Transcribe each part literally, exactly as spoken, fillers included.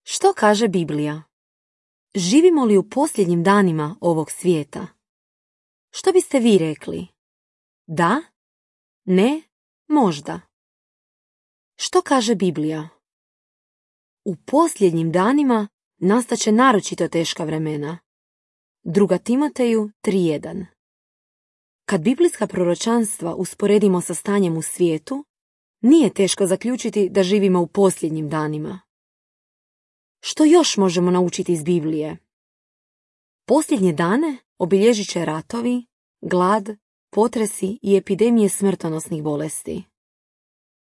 Što kaže Biblija? Živimo li u posljednjim danima ovog svijeta? Što biste vi rekli? Da? Ne? Možda. Što kaže Biblija? U posljednjim danima nastaće naročito teška vremena. Druga Timoteju tri jedan. Kad biblijska proročanstva usporedimo sa stanjem u svijetu, nije teško zaključiti da živimo u posljednjim danima. Što još možemo naučiti iz Biblije? Posljednje dane obilježit će ratovi, glad, potresi i epidemije smrtonosnih bolesti.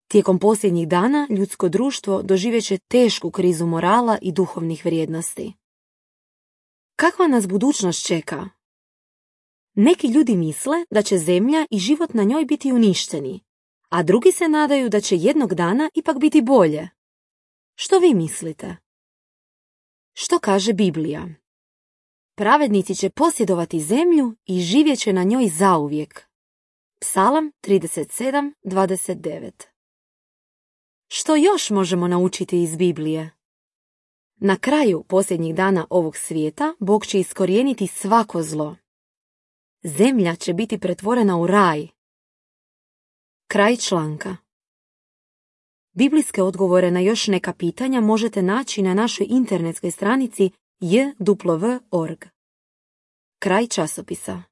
Tijekom posljednjih dana ljudsko društvo doživjet će tešku krizu morala i duhovnih vrijednosti. Kakva nas budućnost čeka? Neki ljudi misle da će zemlja i život na njoj biti uništeni, a drugi se nadaju da će jednog dana ipak biti bolje. Što vi mislite? Što kaže Biblija? Pravednici će posjedovati zemlju i živjet će na njoj zauvijek. Psalam trideset sedam dvadeset devet. Što još možemo naučiti iz Biblije? Na kraju posljednjih dana ovog svijeta Bog će iskorijeniti svako zlo. Zemlja će biti pretvorena u raj. Kraj članka. Biblijske odgovore na još neka pitanja možete naći na našoj internetskoj stranici j w w dot org. Kraj časopisa.